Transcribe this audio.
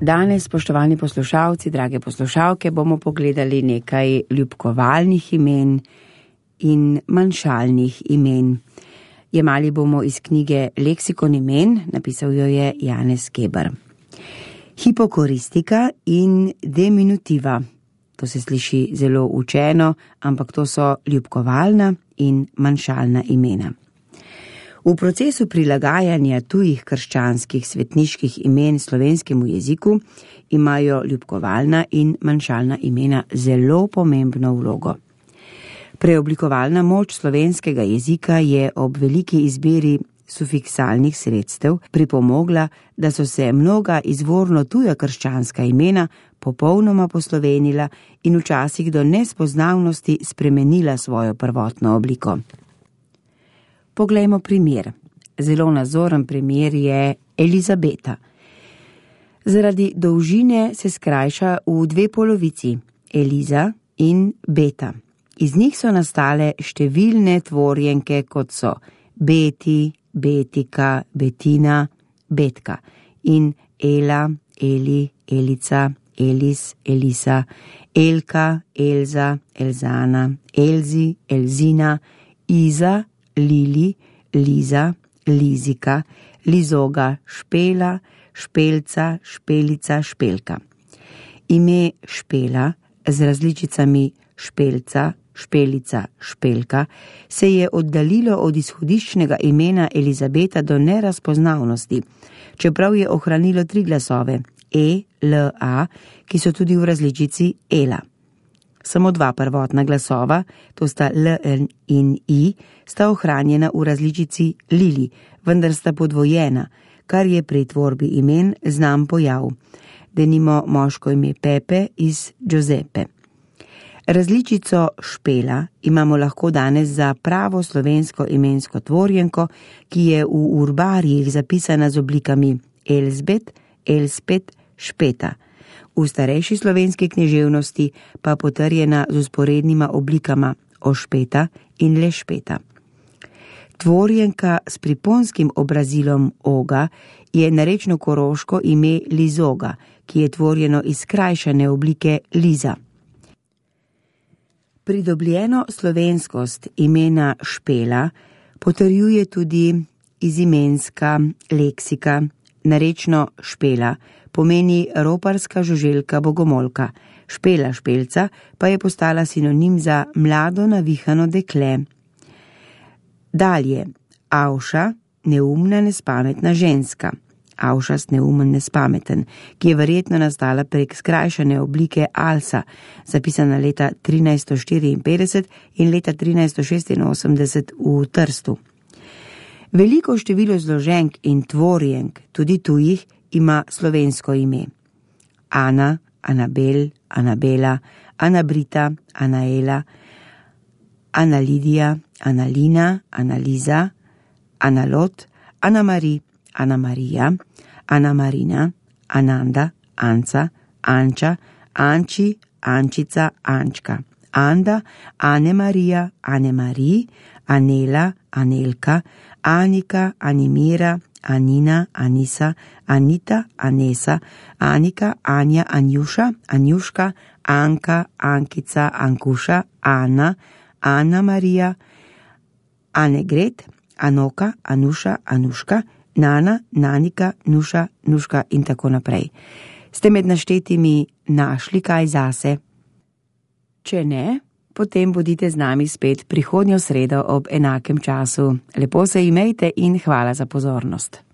Danes, spoštovani poslušalci, drage poslušalke, bomo pogledali nekaj ljubkovalnih imen in manjšalnih imen. Jemali bomo iz knjige Leksikon imen, napisal jo je Janez Keber. Hipokoristika in diminutiva. To se sliši zelo učeno, ampak to so ljubkovalna in manjšalna imena. V procesu prilagajanja tujih krščanskih svetniških imen slovenskemu jeziku imajo ljubkovalna in manjšalna imena zelo pomembno vlogo. Preoblikovalna moč slovenskega jezika je ob veliki izbiri sufiksalnih sredstev pripomogla, da so se mnoga izvorno tuja krščanska imena popolnoma poslovenila in včasih do nespoznavnosti spremenila svojo prvotno obliko. Poglejmo primer. Zelo nazoren primer je Elizabeta. Zaradi dolžine se skrajša v dve polovici, Eliza in Beta. Iz njih so nastale številne tvorjenke, kot so Beti, Betika, Betina, Betka in Ela, Eli, Elica, Elis, Elisa, Elka, Elza, Elzana, Elzi, Elzina, Iza, Lili, Liza, Lizika, Lizoga, Špela, Špelca, Špelica, Špelka. Ime Špela z različicami Špelca, Špelica, Špelka se je oddaljilo od izhodiščnega imena Elizabeta do nerazpoznavnosti, čeprav je ohranilo 3 glasove E, L, A, ki so tudi v različici Ela. Samo 2 prvotna glasova, to sta L in I, sta ohranjena v različici Lili, vendar sta podvojena, kar je pri tvorbi imen znan pojav. Denimo moško ime Pepe iz Giuseppe. Različico Špela imamo lahko danes za pravo slovensko imensko tvorjenko, ki je v urbarijih zapisana z oblikami Elzbet, Elspet, Špeta. V starejši slovenski književnosti pa potrjena z vzporednima oblikama Ošpeta in Lešpeta. Tvorjenka s priponskim obrazilom Oga je narečno koroško ime Lizoga, ki je tvorjeno iz skrajšane oblike Liza. Pridobljeno slovenskost imena Špela potrjuje tudi izimenska leksika. Narečno Špela pomeni roparska žuželka bogomolka, Špela špelca pa je postala sinonim za mlado navihano dekle. Dalje, Avša, neumna nespametna ženska, Avšast neumen nespameten, ki je verjetno nastala prek skrajšane oblike Alsa, zapisana leta 1354 in leta 1386 v Trstu. Veliko število zloženk in tvorjenk, tudi tujih, ima slovensko ime. Ana, Anabel, Anabela, Anabrita, Anaela, Analidija, Analina, Analiza, Analot, Anamari, Anamarija, Anamarina, Ananda, Anca, Anča, Anči, Ančica, Ančka, Anda, Anemarija, Anemarij, Anela, Anelka, Anika, Animira, Anina, Anisa, Anita, Anesa, Anika, Anja, Anjuša, Anjuška, Anka, Ankica, Ankuša, Ana, Ana Marija, Anegret, Anoka, Anuša, Anuška, Nana, Nanika, Nuša, Nuška in tako naprej. Ste med naštetimi našli kaj zase? Če ne, potem bodite z nami spet prihodnjo sredo ob enakem času. Lepo se imejte in hvala za pozornost.